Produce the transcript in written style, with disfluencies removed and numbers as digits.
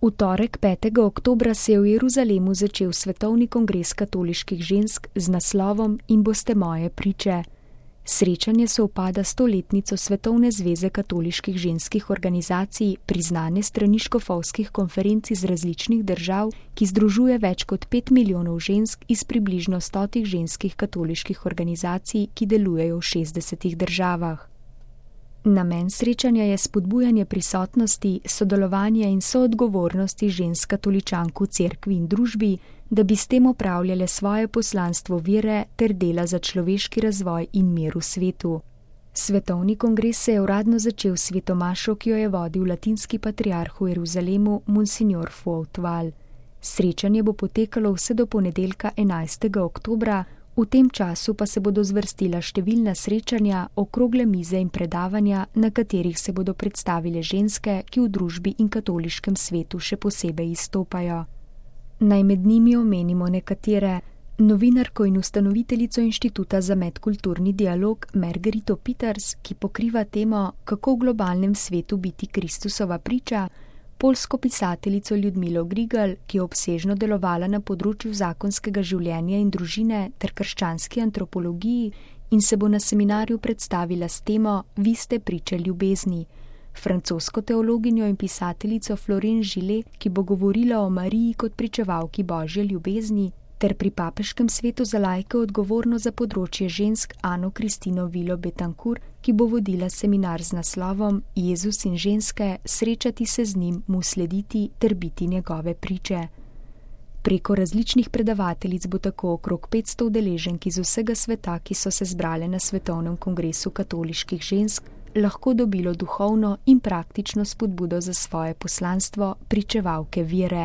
V torek 5. oktobra se je v Jeruzalemu začel svetovni kongres katoliških žensk z naslovom In boste moje priče. Srečanje sovpada s 100-letnico Svetovne zveze katoliških ženskih organizacij, priznane strani škofovskih konferenc iz različnih držav, ki združuje več kot 5 milijonov žensk iz približno 100 ženskih katoliških organizacij, ki delujejo v 60 državah. Namen srečanja je spodbujanje prisotnosti, sodelovanja in soodgovornosti žensk katoličank v cerkvi in družbi, da bi s tem opravljale svoje poslanstvo vere ter dela za človeški razvoj in mir v svetu. Svetovni kongres se je uradno začel s sveto mašo, ki jo je vodil latinski patriarh v Jeruzalemu, Monsignor Fuautval. Srečanje bo potekalo vse do ponedeljka 11. oktobra, v tem času pa se bodo zvrstila številna srečanja, okrogle mize in predavanja, na katerih se bodo predstavile ženske, ki v družbi in katoliškem svetu še posebej izstopajo. Naj med njimi omenimo nekatere: novinarko in ustanoviteljico Inštituta za medkulturni dialog Margarito Peters, ki pokriva temo Kako v globalnem svetu biti Kristusova priča, poljsko pisateljico Ljudmilo Grigal, ki je obsežno delovala na področju zakonskega življenja in družine ter krščanski antropologiji in se bo na seminarju predstavila s temo Vi ste priče ljubezni, francosko teologinjo in pisateljico Florence Gillet, ki bo govorila o Mariji kot pričevalki Božje ljubezni, ter pri papeškem svetu za laike odgovorno za področje žensk Ano Kristino Vilo Betancourt, ki bo vodila seminar z naslovom Jezus in ženske, srečati se z njim, mu slediti ter biti njegove priče. Preko različnih predavateljic bo tako okrog 500 udeleženk iz vsega sveta, ki so se zbrale na Svetovnem kongresu katoliških žensk, lahko dobilo duhovno in praktično spodbudo za svoje poslanstvo pričevalke vere.